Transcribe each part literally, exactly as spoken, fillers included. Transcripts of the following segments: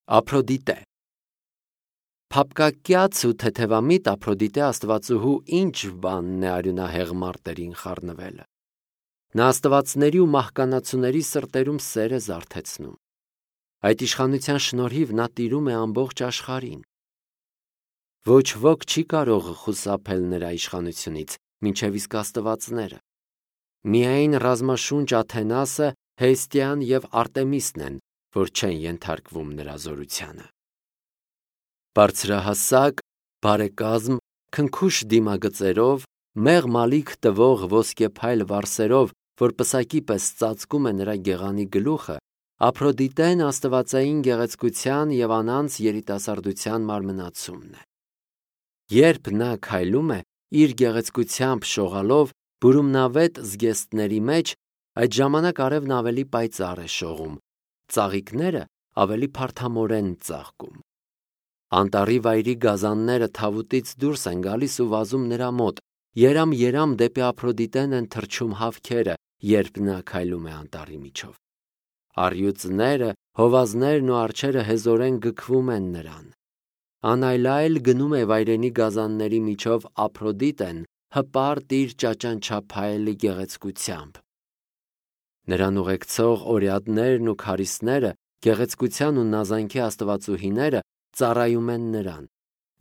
Ափրոդիտե Փափկակյաց ու թեթևամիտ Ափրոդիտե աստվածուհու ինչ բանն է արյունահեղ մարտերին խառնվելը։ Նա աստվածների ու մահկանացուների սրտերում սեր է զարթեցնում։ Այդ իշխանության շնորհիվ նա տիրում է ամբողջ աշխարհին։ Ոչ ոք չի կարող խուսափել նրա իշխանությունից, մինչև իսկ աստվածները։ Միայն ռազմաշունչ Աթենասը, Հեստիան և Արտեմիսն են, որ չեն ենթարկվում նրա զորությանը։ Բարձրահասակ, բարեկազմ, քնքուշ դիմագծերով, մեղմ ալիք տվող ոսկեփայլ վարսերով, որ պսակի պես ծածկում է նրա գեղանի գլուխը, Ափրոդիտեն աստվածային գեղեցկության և անանց երիտասարդության մարմնացումն է։ Երբ նա քայլում է, իր գեղեցկությամբ շողալով բուրումնավետ զգեստների մեջ, այդ ժամանակ արևն ավելի պայծառ է շողում, ծաղիկները ավելի փարթամորեն ծաղկում։ Անտառի վայրի գազանները թավուտից դուրս են գալիս ու վազում նրա մոտ, երամ-երամ դեպի Ափրոդիտեն են թռչում հավքերը, երբ նա քայլում է անտառի միջով։ Առյուծները, հովազներն ու արջերը հեզորեն գքվում են նրան։ Անայլայլ գնում է վայրենի գազանների միջով Ափրոդիտեն, հպարտ իր ճաճանչափայլ գեղեցկությամբ։ Նրան ուղեկցող օրիադներն ու քարիստները, գեղեցկության ու նազանքի աստվածուհիները ծառայում են նրան,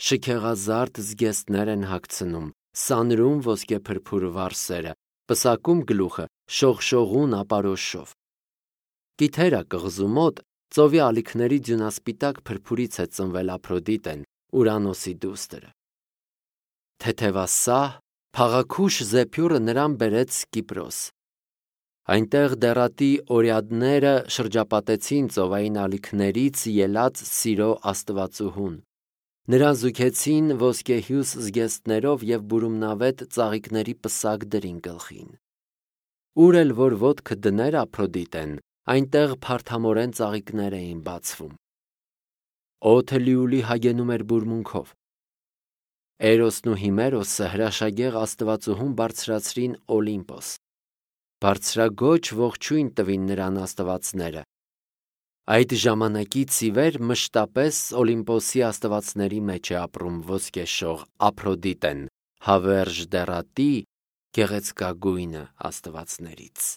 շքեղազարդ զգեստներ են հագցնում, սանրում ոսկեփրփուր վարսերը, պսակում գլուխը շողշողուն ապարոշով։ Կիթերա կղզու մոտ ծովի ալիքների ձյունասպիտակ փրփուրից է ծնվել Ափրոդիտեն, Ուրանոսի դուստրը։ Թեթևասահ, փաղաքուշ զեփյուռը նրան բերեց Կիպրոս։ Այնտեղ դեռատի օրիադները շրջապատեցին ծովային ալիքներից ելած սիրո աստվածուհուն։ Նրան զուգեցին ոսկեհյուս զգեստներով և բուրումնավետ ծաղիկների պսակ դրին գլխին։ Ուր էլ որ ոտքը դներ Ափրոդիտեն, այնտեղ փարթամորեն ծաղիկներ էին բացվում։ Օդը լիուլի հագենում էր բուրմունքով։ Էրոսն ու Հիմերոսը հրաշագեղ աստվածուհուն բարձրացրին Օլիմպոս։ Բարձրագոչ ողջույն տվին նրան աստվածները։ Այդ ժամանակից ի վեր մշտապես Օլիմպոսի աստվածների մեջ է ապրում ոսկեշող Ափրոդիտեն, հավերժ դեռատի գեղեցկագույն աստվածներից։